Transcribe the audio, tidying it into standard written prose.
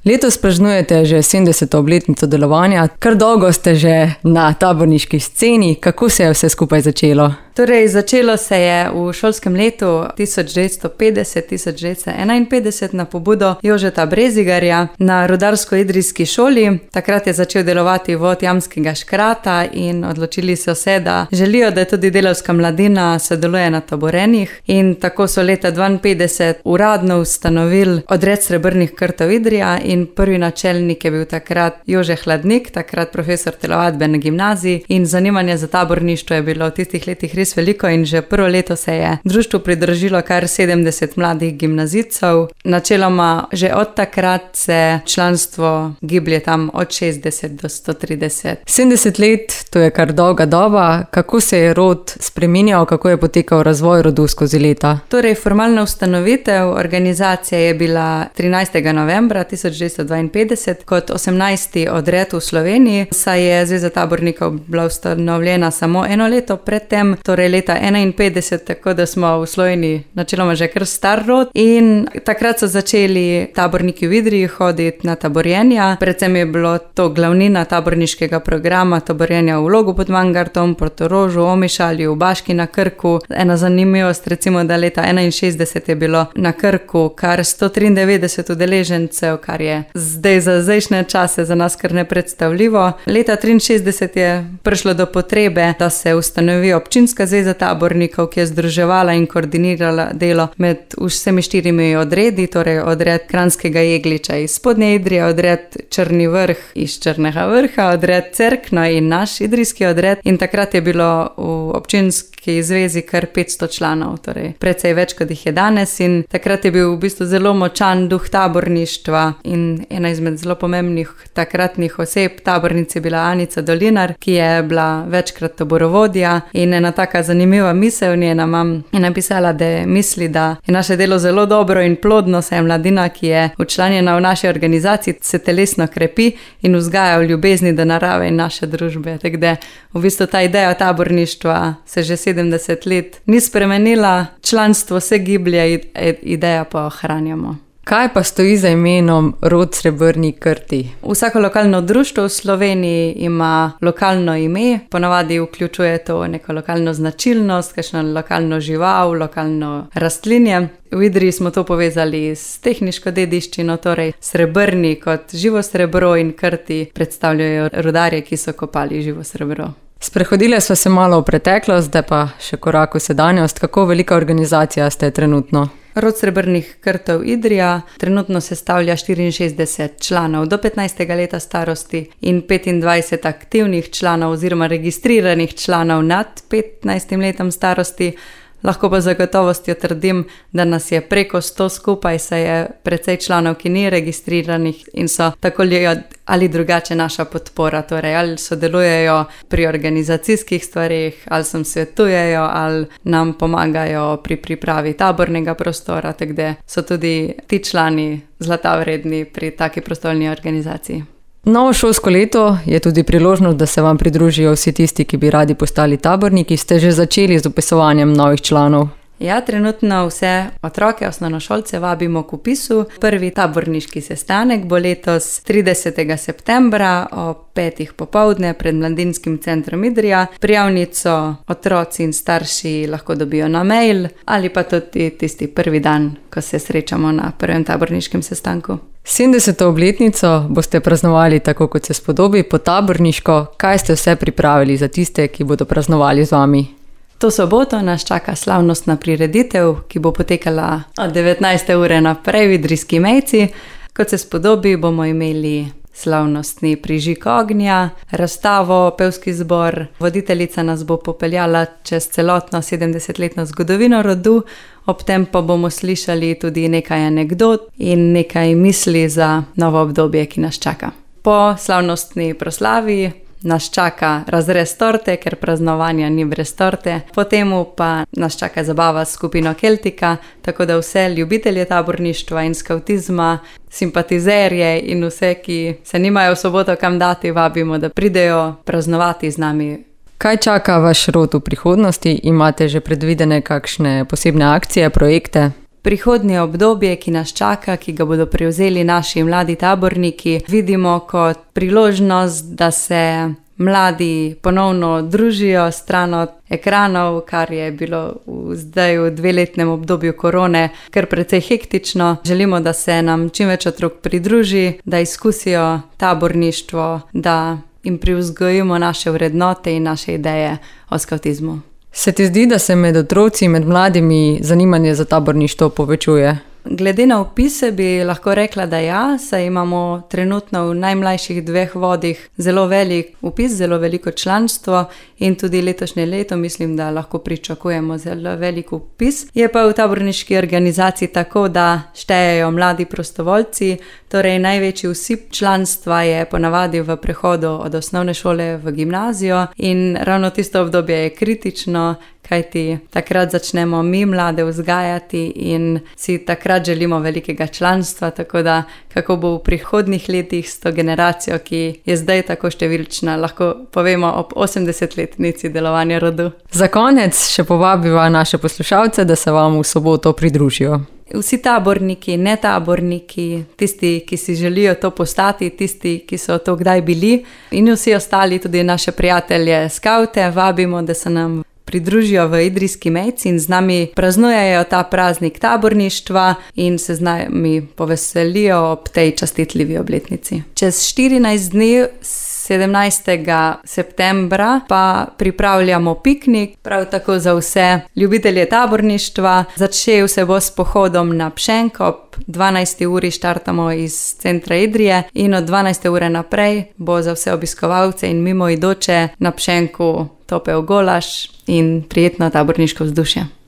Letos praznujete že 70. obletnico delovanja, kar dolgo ste že na taborniški sceni. Kako se je vse skupaj začelo? Torej, začelo se je v šolskem letu 1950-1951 na pobudo Jožeta Brezigarja na rudarsko-idrijski šoli. Takrat je začel delovati vod Jamskega škrata in odločili so se, da želijo, da tudi delavska mladina sodeluje na taborenjih. In tako so leta 1952 uradno ustanovili odred Srebrnih krtov Idrija in prvi načelnik je bil takrat Jože Hladnik, takrat profesor telovadbe na gimnaziji, in zanimanje za taborništvo je bilo v tistih letih res veliko in že prvo leto se je društvu pridružilo kar 70 mladih gimnazijcev. Načeloma že od takrat se članstvo giblje tam od 60 do 130. 70 let, to je kar dolga doba. Kako se je rod spreminjal, kako je potekal razvoj rodu skozi leta? Torej, formalna ustanovitev organizacije je bila 13. novembra 1952 kot 18. odred v Sloveniji, saj je Zveza tabornikov bila ustanovljena samo eno leto predtem, torej leta 1951, tako da smo v Sloveniji načeloma že kar star rod, in takrat so začeli taborniki v Idriji hoditi na taborjenja. Predvsem je bilo to glavnina taborniškega programa, taborjenja v Logu pod Mangartom, Portorožu, Omišalju, v Baški na Krku. Ena zanimivost, recimo, da leta 1961 je bilo na Krku kar 193 udeležencev, kar je zdaj za zdajšnje čase za nas kar nepredstavljivo. Leta 1963 je prišlo do potrebe, da se ustanovi občinska zveza tabornikov, ki je združevala in koordinirala delo med vsemi 4 odredi, torej odred Kranjskega Jegliča iz Spodnje Idrije, odred Črni Vrh iz Črnega Vrha, odred Cerkno in naš idrijski odred. In takrat je bilo v občinski zvezi kar 500 članov, torej precej več, kot jih je danes, in takrat je bil v bistvu zelo močan duh taborništva in ena izmed zelo pomembnih takratnih oseb tabornic je bila Anica Dolinar, ki je bila večkrat taborovodja, in ena taka zanimiva misel njena mam je napisala, da misli, da je naše delo zelo dobro in plodno, saj je mladina, ki je včlanjena v naši organizaciji, se telesno krepi in vzgaja v ljubezni do narave in naše družbe. Tako da v bistvu ta ideja taborništva se že 70 let ni spremenila, članstvo se giblje, ideja pa ohranjamo. Kaj pa stoji za imenom rod Srebrni krti? Vsako lokalno društvo v Sloveniji ima lokalno ime, ponavadi vključuje to neko lokalno značilnost, kakšno lokalno žival, lokalno rastlinje. V Idriji smo to povezali s tehniško dediščino, torej srebrni kot živo srebro in krti predstavljajo rudarje, ki so kopali živo srebro. Sprehodile sva se malo v preteklost, zdaj pa še korak v sedanjost. Kako velika organizacija ste trenutno? Rod Srebrnih krtov Idrija trenutno sestavlja 64 članov do 15. leta starosti in 25 aktivnih članov oziroma registriranih članov nad 15. letom starosti. Lahko pa z zagotovostjo trdim, da nas je preko 100 skupaj, saj je precej članov, ki ni registriranih in so tako ali drugače naša podpora, torej ali sodelujejo pri organizacijskih stvarih, ali nam svetujejo, ali nam pomagajo pri pripravi tabornega prostora, tako da so tudi ti člani zlata vredni pri taki prostovoljni organizaciji. Novo šolsko leto je tudi priložnost, da se vam pridružijo vsi tisti, ki bi radi postali taborniki. Ste že začeli z vpisovanjem novih članov? Ja, trenutno vse otroke, osnovnošolce vabimo k vpisu. Prvi taborniški sestanek bo letos 30. septembra o 5. popoldne pred Mladinskim centrom Idrija. Prijavnico otroci in starši lahko dobijo na mail ali pa tudi tisti prvi dan, ko se srečamo na prvem taborniškem sestanku. 70. obletnico boste praznovali tako, kot se spodobi, po taborniško. Kaj ste vse pripravili za tiste, ki bodo praznovali z vami? To soboto nas čaka slavnostna prireditev, ki bo potekala od 19. ure naprej v Idrijski Mejci. Kot se spodobi, bomo imeli slavnostni prižig ognja, razstavo, pevski zbor. Voditeljica nas bo popeljala čez celotno 70-letno zgodovino rodu, ob tem pa bomo slišali tudi nekaj anekdot in nekaj misli za novo obdobje, ki nas čaka. Po slavnostni proslavi nas čaka razrez torte, ker praznovanja ni brez torte. Potem pa nas čaka zabava s skupino Keltika, tako da vse ljubitelje taborništva in skavtizma, simpatizerje in vse, ki se nimajo v soboto kam dati, vabimo, da pridejo praznovati z nami. Kaj čaka vaš rod v prihodnosti? Imate že predvidene kakšne posebne akcije, projekte? Prihodnje obdobje, ki nas čaka, ki ga bodo prevzeli naši mladi taborniki, vidimo kot priložnost, da se mladi ponovno družijo stran od ekranov, kar je bilo zdaj v 2-letnem obdobju korone kar precej hektično. Želimo, da se nam čim več otrok pridruži, da izkusijo taborništvo, da jim privzgojimo naše vrednote in naše ideje o skavtizmu. Se ti zdi, da se med otroci, med mladimi zanimanje za taborništvo povečuje? Glede na vpise bi lahko rekla, da ja, saj imamo trenutno v najmlajših 2 vodih zelo velik vpis, zelo veliko članstvo in tudi letošnje leto mislim, da lahko pričakujemo zelo velik vpis. Je pa v taborniški organizaciji tako, da štejejo mladi prostovoljci, torej največji vsip članstva je ponavadi v prehodu od osnovne šole v gimnazijo in ravno tisto obdobje je kritično, kajti takrat začnemo mi mlade vzgajati in si takrat želimo velikega članstva, tako da kako bo v prihodnjih letih s to generacijo, ki je zdaj tako številčna, lahko povemo ob 80-letnici delovanja rodu. Za konec še povabiva naše poslušalce, da se vam v soboto pridružijo. Vsi taborniki, netaborniki, tisti, ki si želijo to postati, tisti, ki so to kdaj bili in vsi ostali, tudi naše prijatelje skavte, vabimo, da se nam pridružijo v Idrijski Mejci in z nami praznujejo ta praznik taborništva in se z nami poveselijo ob tej častitljivi obletnici. Čez 14 dni, 17. septembra, pa pripravljamo piknik, prav tako za vse ljubitelje taborništva. Začel se bo s pohodom na Pšenk, ob 12. uri štartamo iz centra Idrije in od 12. ure naprej bo za vse obiskovalce in mimoidoče na Pšenku topel golaž in prijetno taborniško vzdušje.